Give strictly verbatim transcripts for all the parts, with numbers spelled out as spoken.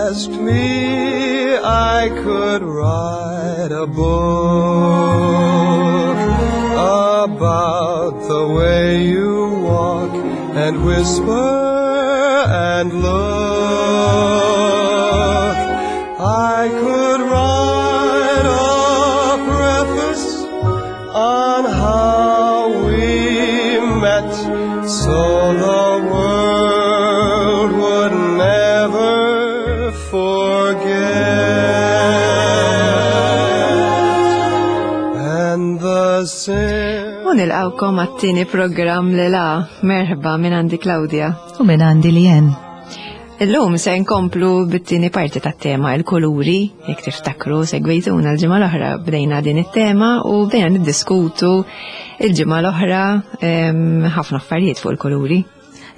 asked me, I could write a book about the way you walk and whisper and look. I could write a preface on how we met so the world would never forget. And the U nilqawkom għat-tieni programm li la merħba minn għandi Claudia. U minn għandi Lien. Illum se nkomplu bit-tieni parti tat-tema il-kuluri, jekk tiftakru segwejtuna l-ġimgħa l-oħra bdejna din it-tema u bdejna niddiskutu il-ġimgħa l-oħra em, ħafna affarijiet fuq il-kuluri.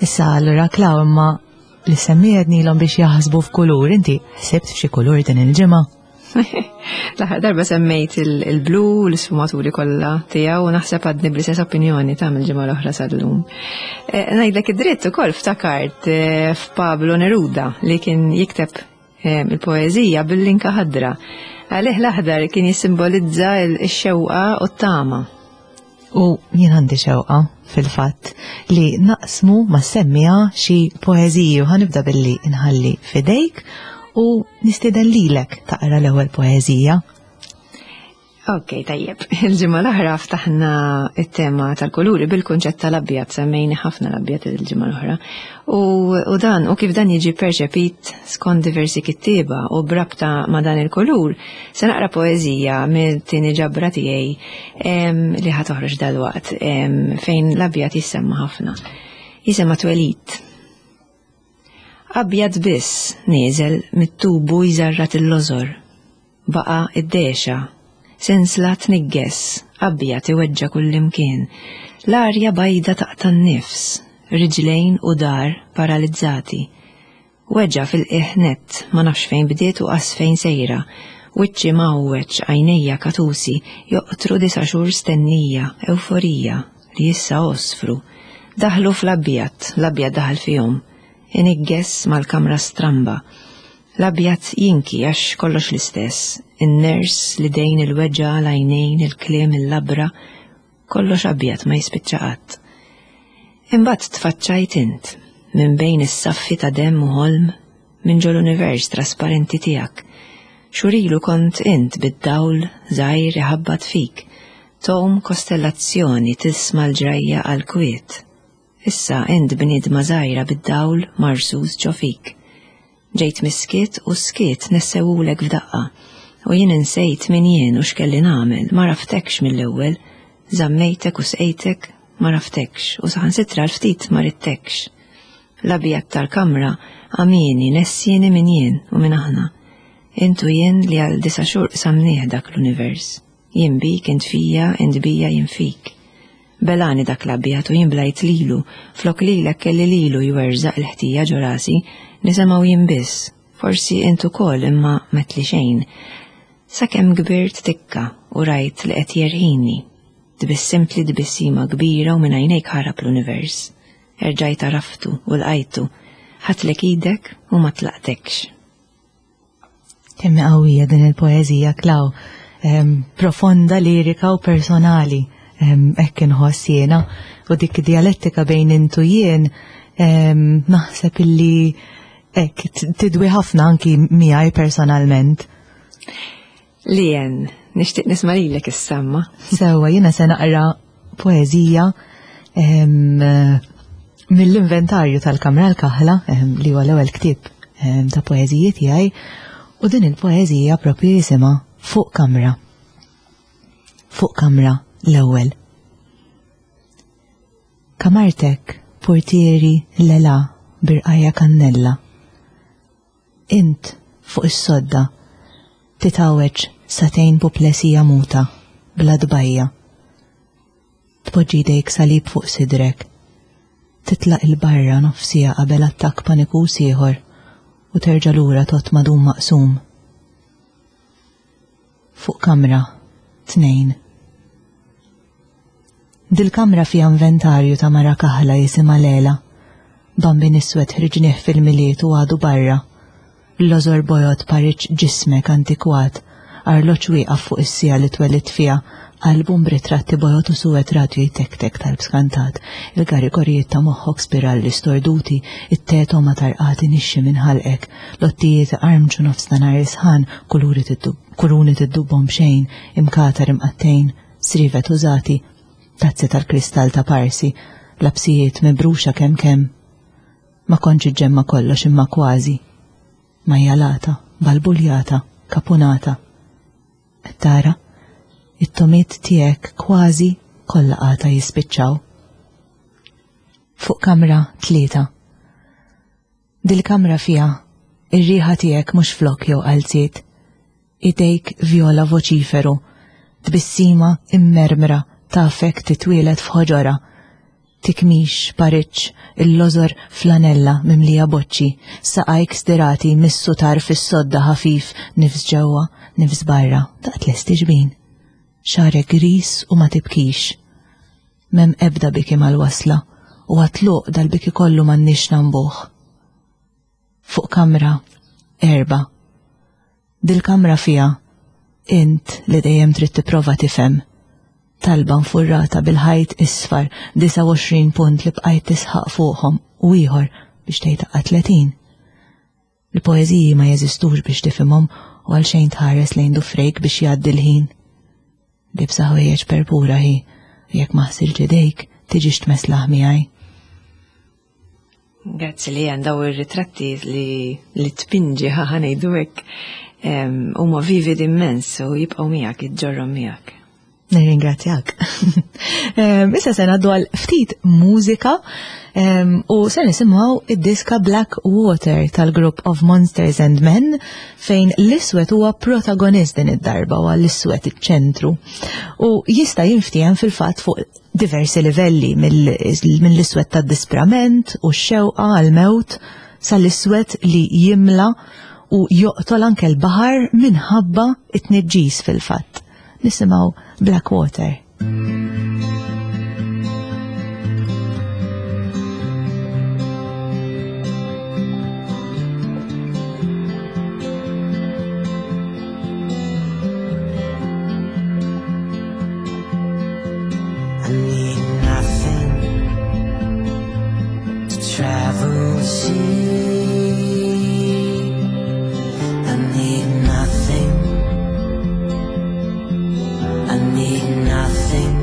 Issa allura Klaw imma li semmiednilhom biex jaħsbu f'kulur, inti ħsibt f'xi kulur din il-ġimgħa? L-aħħar darba semmejt il- il-blu, l-isfumaturi kollha tiegħu u naħseb għadni bl-istess opinjoni ta' mill-ġimgħa l-oħra sal-lum. Eh, Ngħidlek id-dritt ukoll ftakart eh, f'Pablo Neruda li kien jikteb eh, il-poeżija bil-linka ħadra. Għalih l-aħdar kien jissimbolizza il-xewqa u t-tama. U jien għandi xewqa fil-fatt li naqsmu ma semmija xi poeżiji u ħanibda billi nħalli fidejk u nistieden lilek taqra l-ewwel poeżija. Ok, tajjeb. Il-ġimgħa l-oħra ftaħna it-tema tal-kuluri bil-kunċett tal-abjad, semmejni ħafna l-abjad il-ġimgħa l-oħra. U, u dan, u kif dan jiġi perċepit skont diversi kittieba u brabta ma' dan il-kulur, se naqra poeżija mill-tieni ġabra tiegħi em, li ħa toħroġ dalwaqt em, fejn l-abjad jissemma ħafna. Jisemma twelid. Abjad biss nieżel mit-tubu jżarrat il-lożor. Baqa id-dexa, sensla tnigges, abjad iweġġa kullimkien. L-arja bajda taqta' n-nifs, riġlejn u dar paralizzati. Weġġa fil-qiegħ nett, ma nafx fejn bdiet u qas fejn sejra. Wiċċi mawweċ, għajnejja katusi, joqtru disa xhur stennija, euforija, li issa osfru. Daħlu fl-abjad, l-abjad daħal fihom. Inigges mal-kamra stramba. L-abjad jinki għax kollox l-istess. In-ners, l-idejn, il-weġġa, l-għajnejn, il-kliem, il-labra, kollox abjad ma jispiċċa qatt. Imbagħad tfaċċajt int minn bejn is-saffi ta' demm u ħolm minn ġol univers trasparenti tiegħek. Xurilu kont int bid-dawl żgħir iħabbat fik, tom kostellazzjoni tisma' l-ġrajja għal kwiet. Issa int bniedma żgħira bid-dawl marsus ġo fik. Ġejt miskiet u skiet nessewulek f'daqqa. U jien insejt min jien u x'kelli nagħmel, ma għaraftekx mill-ewwel, żammejtek u sqejtek ma għaraftekx u saħansitra l-ftit ma ridtekx. L-abjad tal-kamra għamieni nessieni min jien u min aħna. Int u jien li għal disa xhur qsamnieh dak l-univers. Jien bik, int fija, int bija, jien fik. Belani dak l-abjad u jien blajt lilu, flok lilek kelli lilu jwerżaq il-ħtija ġo rasi, nisimgħu jien biss, forsi int ukoll imma metli xejn. Sakemm kbirt tikka u rajt li qed jerħini. Tbissimtli tbissima kbira u minn għajnejk ħarab l-univers. Erġajt għaraftu u lqajtu, ħadtlek idek u ma tlaqtekx. Kemm hi qawwija din il-poeżija, Klaw, em, profonda, lirika u personali. Em, Hekk inħoss jiena u dik dialettika bejn int u jien em, naħseb illi hekk t- tidwi ħafna anki miegħi personalment. Lien, nixtieq nisma' lilek issamma. Sewwa, jiena se naqra poeżija em, mill-inventarju tal-Kamra l-Kaħla, em, li huwa l-ewwel ktieb em, ta' poeżiji tiegħi, u din il-poeżija propju jisimha Fuq Kamra. Fuq Kamra l-ewwel. Kamartek, portieri lela birqajja kannella. Int fuq is-sodda titgħawweġ sagħtejn puplesija muta bla dbajja. Tpoġġi jdejk salib fuq sidrek. Titlaq il-barra nofsija qabel attakk panikus ieħor u terġa' lura tot madum maqsum. Fuq kamra, tnejn. Dil-kamra fija inventarju ta' mara kaħla jisimha Lela. Bambin iswed ħriġnieh fil-Milied u għadu barra. Lożor bojod pariċ ġismek antikwat, arloġġ wieqaf fuq is-sija li twelidt fiha, album b'ritratti bojod u suwed radju jtektek tal-bskantat, il-garigorijiet ta' moħħok spiralli storduti, it-teto ma tarqati nixxi minn ħalqek, lottijiet armċu nofs ta' nhar isħan, kuluri kuruni tiddubbhom b'xejn, imkatar imqattejn, srivet użati, tazzi tal-kristall ta' parsi, lapsijiet mibruxa kemm kemm. Ma kontx iġġemma kollox imma kważi. Majjalata, balbuljata, kapunata. Qed tara, it-tomiet tiegħek kważi kollha qata jispiċċaw. Fuq kamra tlieta. Dil-kamra fiha ir-riħa tiegħek mhux flok jew qalziet. Idejk vjola voċiferu, tbissima immermra tafek titwielet f'ħoġora. Tikmix, pariċ, il-lożor flanella mimlija boċċi, saqajk stirati missu tarf is-sodda ħafif, nifs ġewwa, nifs barra, daqt lesti ġbin. Xagħrek gris u ma tibkix. M'hemm ebda biki mal-wasla u għat-tluq dal-biki kollu m'għandniex nambuh. Fuq kamra, erba. Dil-kamra fiha, int li dejjem trid tipprova tifhem. Talba nfurrata bil-ħajt isfar, disgħa u għoxrin punt li bqajt tisħaq fuqhom u ieħor biex tgħid aqqa tletin. Il-poeżiji ma jeżistux biex tifhimhom u għalxejn tħares lejn dufrejk biex jgħaddi l-ħin. Libsa ħwejjeġ perpura hi, u jekk ma ħsilx idejk tiġix tmeslaħ miegħi. Grazzi li għan daw ir-ritratti li, li tpinġi ħa ngħidu hekk, huma vivid immens u jibqgħu miegħek, iġġorrhom miegħek. Nirringrazzjak. Issa se ngħaddu għal ftit mużika u se nisimgħu id-diska Black Water tal-grupp of Monsters and Men fejn l-iswed huwa protagonist din id-darba u l-iswed iċ-ċentru. U jista' jinftiehem fil-fatt fuq diversi livelli mill-iswed tad-disprament u x-xewqa għal-mewt sal-iswed li jimla u joqtol anke l-baħar minħabba it-tniġġis fil-fatt. Nisimgħu Black Water. I need nothing to travel the sea. I need nothing. I need nothing.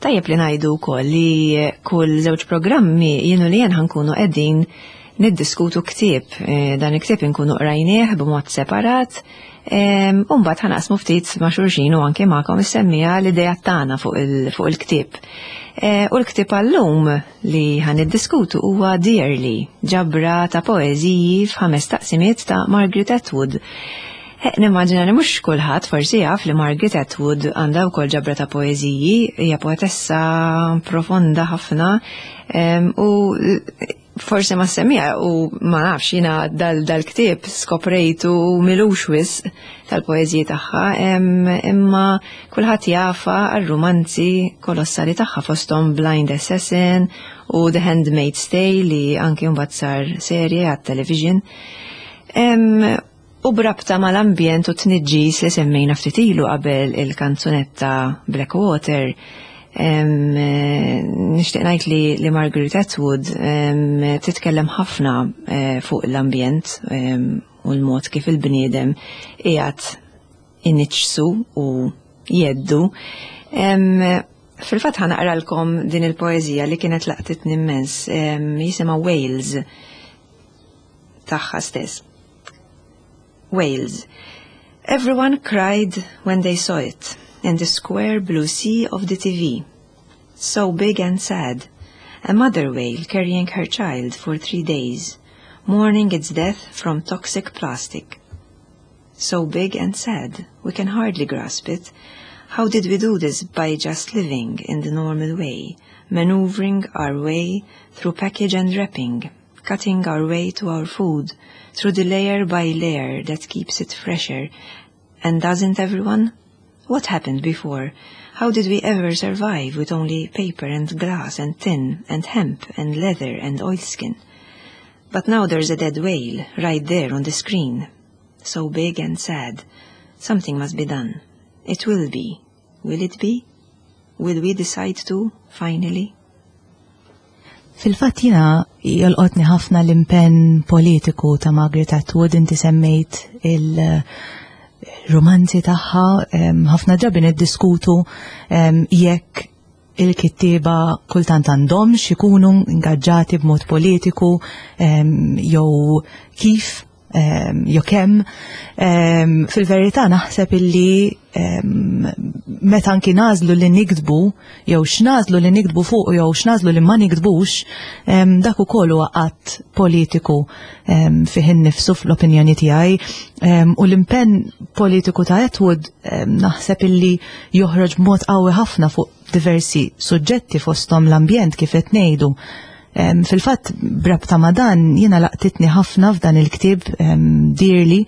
Tajjeb li ngħidu wkoll li kull żewġ programmi jien u Leanne ħa nkunu qegħdin niddiskutu ktieb. Eh, dan il-ktieb inkunu qrajnieh b'mod separat. U mbagħad ħa naqsmu ftit ma' xulxin u anke magħkom is-semmiegħa l-idea tagħna fuq il-ktieb. Eh, u l-ktieb għallum li ħa niddiskutu huwa Dearly, ġabra ta' poeżiji f'ħames taqsimiet ta' Margaret Atwood. Eh, nimmaġina li mhux kulħadd forsi jaf li Margaret Atwood għandha wkoll ġabra ta' poeżiji, hija poetessa profonda ħafna u forsi ma semmija u ma nafx, jiena dal-ktieb skoprejtu m'ilux wisq tal-poeżiji tagħha, imma kulħadd jafha għar-romanzi kolossali tagħha, fosthom Blind Assassin u The Handmaid's Tale li anki mbagħad sar serje għat-television. U b'rabta mal-ambjent u tniġġis li semmejna ftit ilu qabel il-kanzunetta Blackwater, nixtieq ngħid li, li Margaret Atwood titkellem ħafna eh, fuq l-ambjent u l-mod kif il-bniedem qiegħed iniġġsu u jheddu. Fil-fatt ħa naqralkom din il-poeżija li kienet laqtitni immens, jisimha Wales, tagħha stess. Wales. Everyone cried when they saw it in the square blue sea of the T V. So big and sad. A mother whale carrying her child for three days, mourning its death from toxic plastic. So big and sad, we can hardly grasp it. How did we do this by just living in the normal way, maneuvering our way through package and wrapping, cutting our way to our food, through the layer by layer that keeps it fresher? And doesn't everyone? What happened before? How did we ever survive with only paper and glass and tin and hemp and leather and oilskin? But now there's a dead whale right there on the screen. So big and sad. Something must be done. It will be. Will it be? Will we decide to, finally? Fil-fatt jiena jolqotni ħafna l-impenn politiku ta' Margaret Atwood. Inti semmejt il-romanzi tagħha, ħafna drabi niddiskutu jekk il-kittieba kultant għandhomx ikunu ingaġġati b'mod politiku jew kif jew kemm. Fil-verità naħseb illi meta anki nagħżlu li niktbu jew x'nagħżlu li niktbu fuq jew x'nagħżlu li ma niktbux, dak ukoll huwa att politiku fih innifsu fl-opinjoni tiegħi. U l-impenn politiku ta' Atwood naħseb illi joħroġ b'mod qawwi ħafna fuq diversi suġġetti, fosthom l-ambjent kif qed ngħidu. Fil-fatt brabta ma' dan jiena laqtitni ħafna f'dan il-ktieb Dearly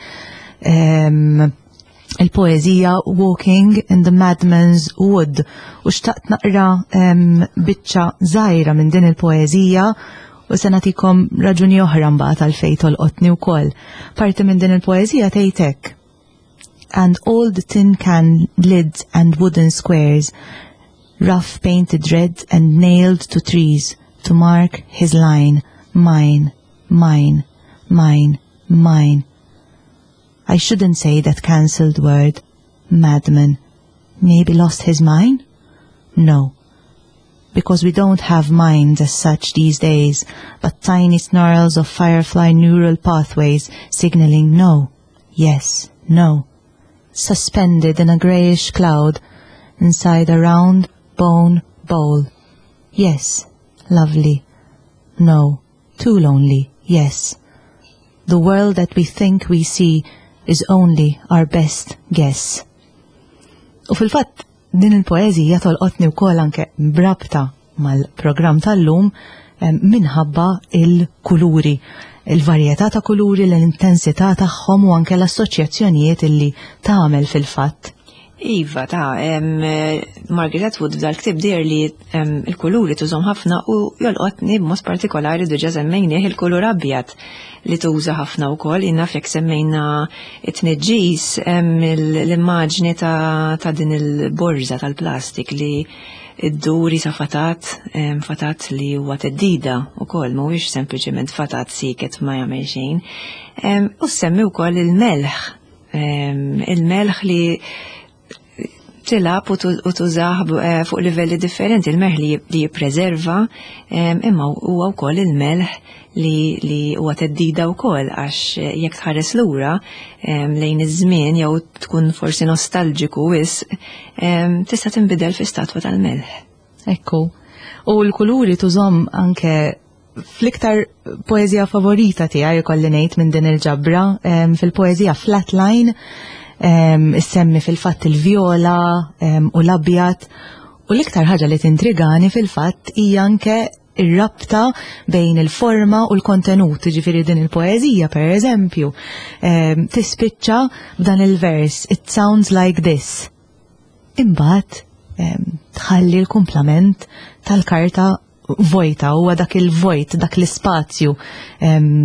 il-poeżija Walking in the Madman's Wood u xtaqt naqra biċċa żgħira minn din il-poeżija u se nagħtikom raġuni oħra mbagħad għalfejn tolqotni wkoll. Parti minn din il-poeżija tgħid hekk: "And all the tin can lids and wooden squares, rough painted red and nailed to trees to mark his line, mine, mine, mine, mine. I shouldn't say that cancelled word, madman. Maybe lost his mind? No, because we don't have minds as such these days, but tiny snarls of firefly neural pathways signaling no, yes, no, suspended in a grayish cloud inside a round bone bowl. Yes, lovely. No, too lonely, yes. The world that we think we see is only our best guess." U fil-fatt din il-poeżija tolqotni wkoll anke brabta mal-programm tal-lum minħabba il-kuluri, il-varjetà ta' kuluri, l-intensità tagħhom u anke l-assoċjazzjonijiet illi tagħmel fil-fatt. Iva, ta' Margaret Atwood f'dal-ktieb Dearly il-kuluri tużahom ħafna u jolqotni b'mod partikolari, diġà semmejnieh, il-kulur abjad li tuża ħafna wkoll. Jiena jekk semmejna it-tniġġis, l-immaġni ta', ta din il-borża tal-plastik li id-duri sa fatat, fatat li huwa theddida wkoll, mhuwiex sempliċement fatat sieket ma jagħmel xejn. U semmi wkoll il-melħ, il-melħ li Tilgħab u tużah eh, fuq livelli differenti, il-melħ li jippreserva, imma huwa wkoll il-melħ li li huwa theddida wkoll, għax jekk tħares lura lejn iż-żmien jew tkun forsi nostalġiku wisq, tista' tinbidel fi statwa tal-melħ. Ekku. U l-kuluri tużhom anke fl-iktar poezija favorita tiegħi, jkolli ngħid, minn din il-ġabra, fil-poezija Flatline, issemmi fil-fatt il-vjola u l-abjad, u l-iktar ħaġa li tintrigani fil-fatt hija anke ir-rabta bejn il-forma u l-kontenut. Ġifieri din il-poezija, per eżempju, tispiċċa b'dan il-vers, "It sounds like this". Imbagħad tħalli l-kumplament tal-karta vojta. Huwa dak il-vojt, dak l-ispazju,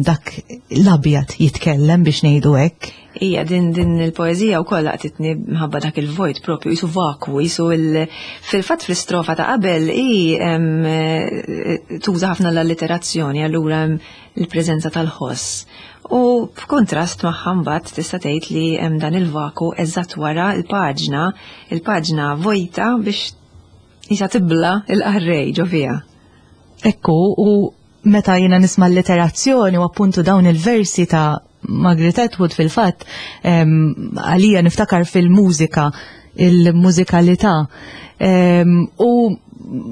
dak l-abjad jitkellem, biex ngħidu hekk. Ija, din din il-poezija wkoll laqtitni mħabba dak il-vojt propju, qisu vakwu, qisu il fil-fatt fl-istrofa ta' qabel i tuża ħafna l-alliterazzjoni, allura il-preżenza tal-ħoss. U f'kontrast magħha mbagħad tista' tgħid li hemm dan il-vaku eżatt wara il-paġna, il-paġna vojta biex jisa tibla il-qarrej ġo fiha. Ekku, u meta jiena nisma' l-alliterazzjoni u appuntu dawn il-versi ta' Margaret Atwood, fil-fatt, għalija niftakar fil-mużika, il-mużikalità. U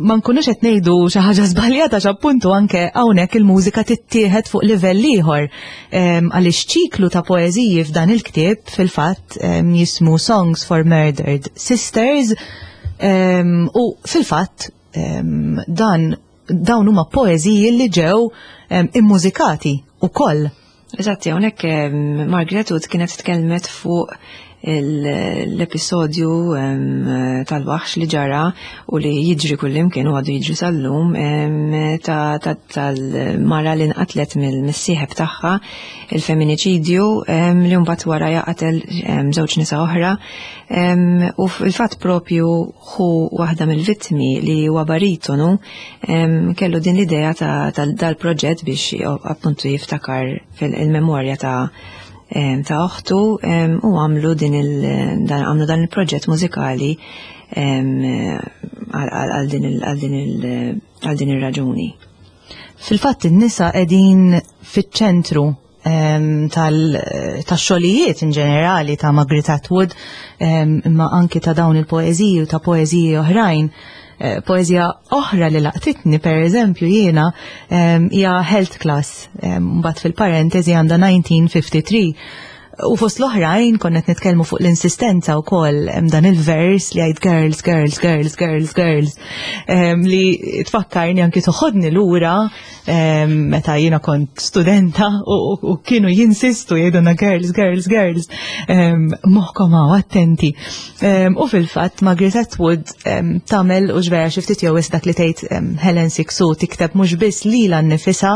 ma nkunux qed ngħidu xi ħaġa żbaljata, appuntu anke hawnhekk il-mużika tittieħed fuq livell ieħor, għaliex ċiklu ta' poeżiji f'dan il-ktieb fil-fatt jismu Songs for Murdered Sisters, u fil-fatt dan dawn huma poeżiji li ġew immużikati ukoll. Eżatti, hawnhekk Margaret Atwood kienet tkellmet fuq l-episodju tal-waħx li ġara u li jiġri kullimkien u għadu jiġri sal-lum, tal-mara li nqatlet mill-missieħeb tagħha, il-feminiċidju li mbagħad wara jaqatel żewġ nisa oħra. U fil-fatt propju hu waħda mill-vittmi li huwa baritonu kellu din l-idea ta' dal-proġett biex appuntu jiftakar fil-memorja ta' ta' oħtu, u għamlu din il għamlu dan il-proġett mużikali għal din ir-raġuni. Fil-fatt in-nisa qegħdin fiċ-ċentru tax-xogħlijiet in ġenerali ta' Margaret Atwood, imma anki ta' dawn il-poeżiji u ta' poeżiji oħrajn. Eh, poezija oħra li laqtitni, per eżempju, jiena hija Health Class, mbagħad fil-parentesi għandha elf disa' mija u tlieta u ħamsin. U fost l-oħrajn konna nitkellmu fuq l-insistenza wkoll, hemm dan il-vers li jgħid "girls, girls, girls, girls, girls", li tfakkarni anki toħodni lura meta jiena kont studenta u kienu jinsistu jgħiduna "girls, girls, girls, moħħkom hawn, attenti". U fil-fatt Margaret Atwood tagħmel u ġvera xi ftit jew dak li tgħid Helen Cixous, tikteb mhux biss lilha nnifisha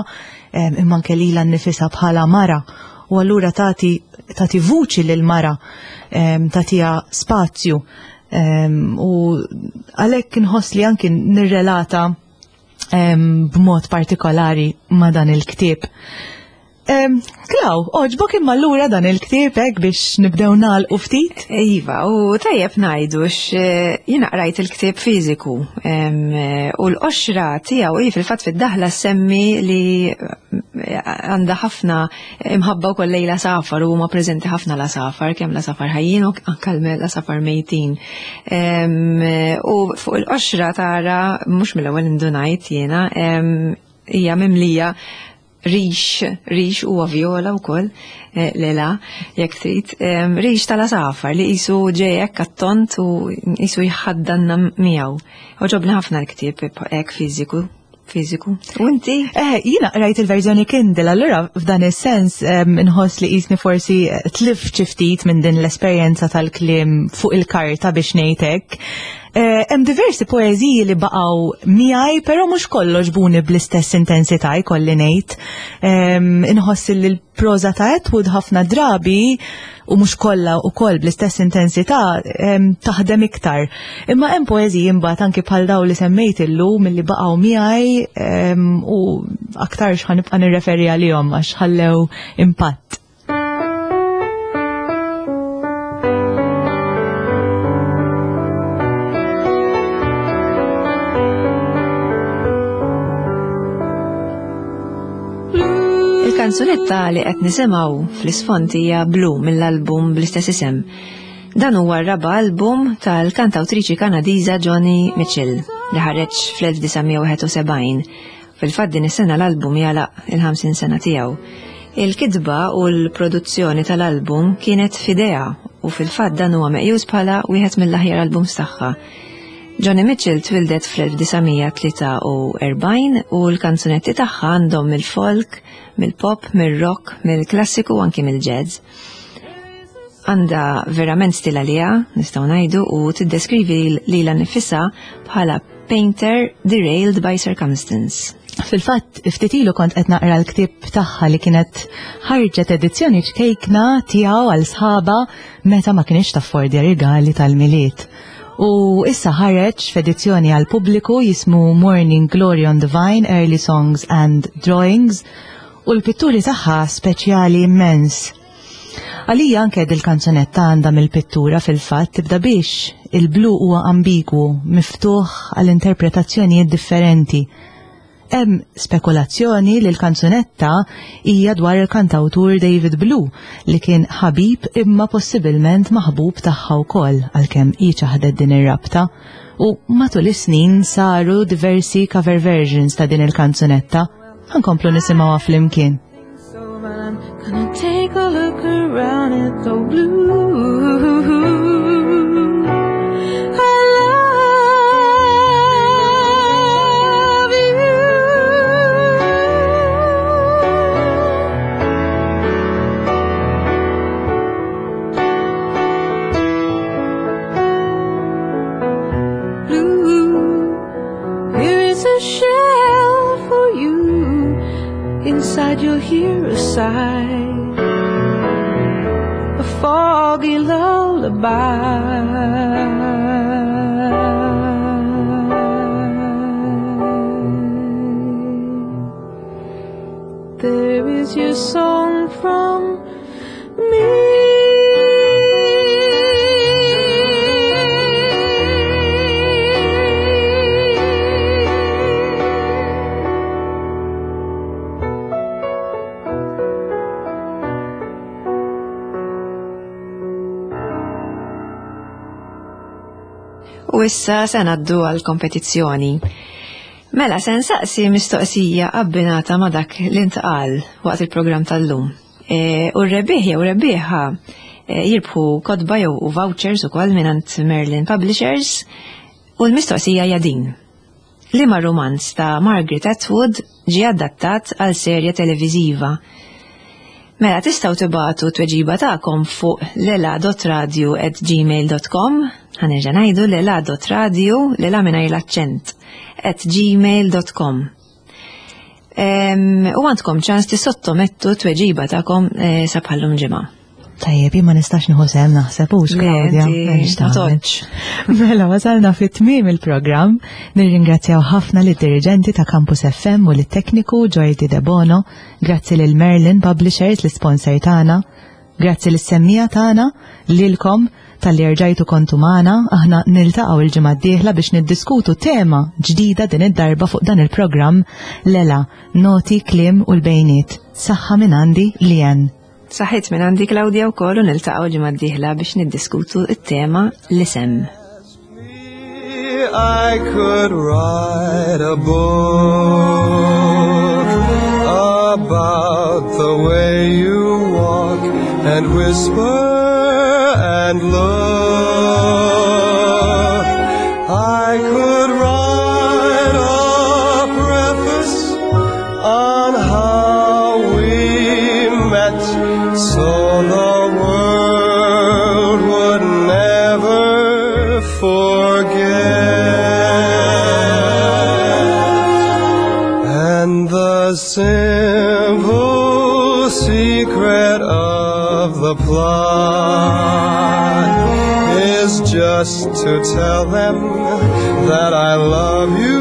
imma anke lilha nnifisha bħala mara, u allura tagħti tagħti vuċi lil mara, tagħtiha spazju, u għalhekk inħoss li anki nirrelata b'mod partikolari ma' dan il-ktieb. Klaw, għoġbok imma allura dan il-ktieb, hekk biex nibdew nagħlqu ftit? Iva, u tajjeb ngħidu jiena qrajt il-ktieb fiżiku u l-qoxra tiegħu hi fil-fatt fid-daħla semmi li għandha ħafna imħabba wkoll lejn l-għasafar u huma preżenti ħafna l-għasafar, kemm l-għasafar ħajjin u anke l-għasafar mejtin. U fuq il-qoxra tara, mhux mill-ewwel indunajt jiena, hija mimlija rix, rix huwa viola wkoll, eh, lela, jekk trid, rix tal-għasafar li qisu ġej hekk attont u qisu jħaddanna miegħu. Għoġobni ħafna l-ktieb hekk fiżiku fiżiku. U inti? Eh, jiena rajt il-verżjoni Kindle, allura f'dan is-sens inħoss li qisni forsi tlift xi ftit minn din l-esperjenza tal-kliem fuq il-karta, biex ngħid hekk. Eh, hemm diversi poeżiji li baqgħu miegħi, però mhux kollox għoġbuni bl-istess intensità, jkolli ngħid. Inħoss li l-proża ta' Atwood ħafna drabi, u mhux kollha wkoll bl-istess intensità, taħdem iktar. Imma hemm poeżiji imbagħad anki bħal daw li semmejt illum milli baqgħu miegħi u aktar ħa nibqa' nirreferi għalihom għax ħallew impatt. Il-kanzunetta li qed nisimgħu fl-isfond hija Blue mill-album bl-istess isem. Dan huwa r-raba' album tal-kantawtriċi Kanadiża Joni Mitchell li ħareġ fl-elf disa' mija wieħed u sebgħin. Fil-fatt din is-sena l-album jagħlaq il-ħamsin sena tiegħu. Il-kitba u l-produzzjoni tal-album kienet f'idea u fil-fatt dan huwa meqjus bħala wieħed mill-aħjar albums tagħha. Joni Mitchell twildet fl-elf disa' mija tlieta u erbgħin u l-kanzunetti tagħha għandhom mill-folk, mill-pop, mill-rock, mill-klassiku u anki mill-jazz. Għandha verament stil għaliha, nistgħu ngħidu, u tiddeskrivi lilha nnifisha bħala painter derailed by circumstance. Fil-fatt, ftit ilu kont qed naqra l-ktieb tagħha li kienet ħarġet edizzjoni ċkejkna tiegħu għal sħaba meta ma kienx taffordja rigali tal-Milied. U issa ħareġ f'edizzjoni għal pubbliku jismu Morning Glory on the Vine, Early Songs and Drawings, u l-pitturi tagħha speċjali immens. Għalija anke dil-kanzunetta għandha mill-pittura fil-fatt tibda biex il-blu huwa ambigwu, miftuħ għal interpretazzjonijiet differenti. Hemm spekulazzjoni li l-kanzunetta hija dwar il-kantawtur David Blue li kien ħabib imma possibilment maħbub tagħha wkoll għalkemm hi ċaħdet din ir-rabta. U matul is-snin saru diversi cover versions ta' din il-kanzunetta. Ħankomplu nisimgħuha flimkien. So I'm gonna take a look around at the blue. I love you. Blue, here is a shell for you. Inside you'll hear a sigh, a foggy lullaby. There is your song from me. U issa se ngħaddu għal kompetizzjoni. Mela, se nsaqsi mistoqsija abbinata ma' dak li ntqal waqt il-programm tal-lum. E, u r-rebbieħ jew rebbieħa, e, jirbħu kotba jew u vouchers ukoll mingħand Merlin Publishers, u l-mistoqsija hija din. Liema romanz ta' Margaret Atwood ġie adattat għal serje televiżiva? Mela, tistgħu tibagħtu t-tweġiba tagħkom fuq lela dot radio at gmail dot com. Ħa nerġa' ngħidu lela dot radio, lela mingħajr l-aċċent, at gmail dot com. Em, u għandkom ċans tissottomettu t-tweġiba tagħkom, eh, sa bħallum ġimgħa. Tajjeb, jien ma nistax nieħu sehem naħseb hux, Le, Claudia, inti m'hemmx ma tagħmel. toqgħodx. Mela, wasalna fit-tmiem il-programm. Nirringrazzjaw ħafna lid-dirigenti ta' Campus F M u lit-tekniku Jordi De Bono. Grazzi lil Merlin Publishers, l-sponsor tagħna. Grazzi lis-semmija tagħna, lilkom tal-li rġajtu kontu magħna. Aħna niltaqgħu il-ġimgħa d-dieħla biex niddiskutu tema ġdida din id-darba fuq dan il-programm Lela, Noti, Kliem u l-Bejniet. Saħħa minn għandi Lian. Saħħit minn għandi Claudia wkoll u niltaqgħu ġimgħa d-dieħla biex niddiskutu t-tema l-isem. I could write a book about the way you walk and whisper and look. I could write a preface on how we met, so the world would never forget. And the simple secret of the plot is just to tell them that I love you.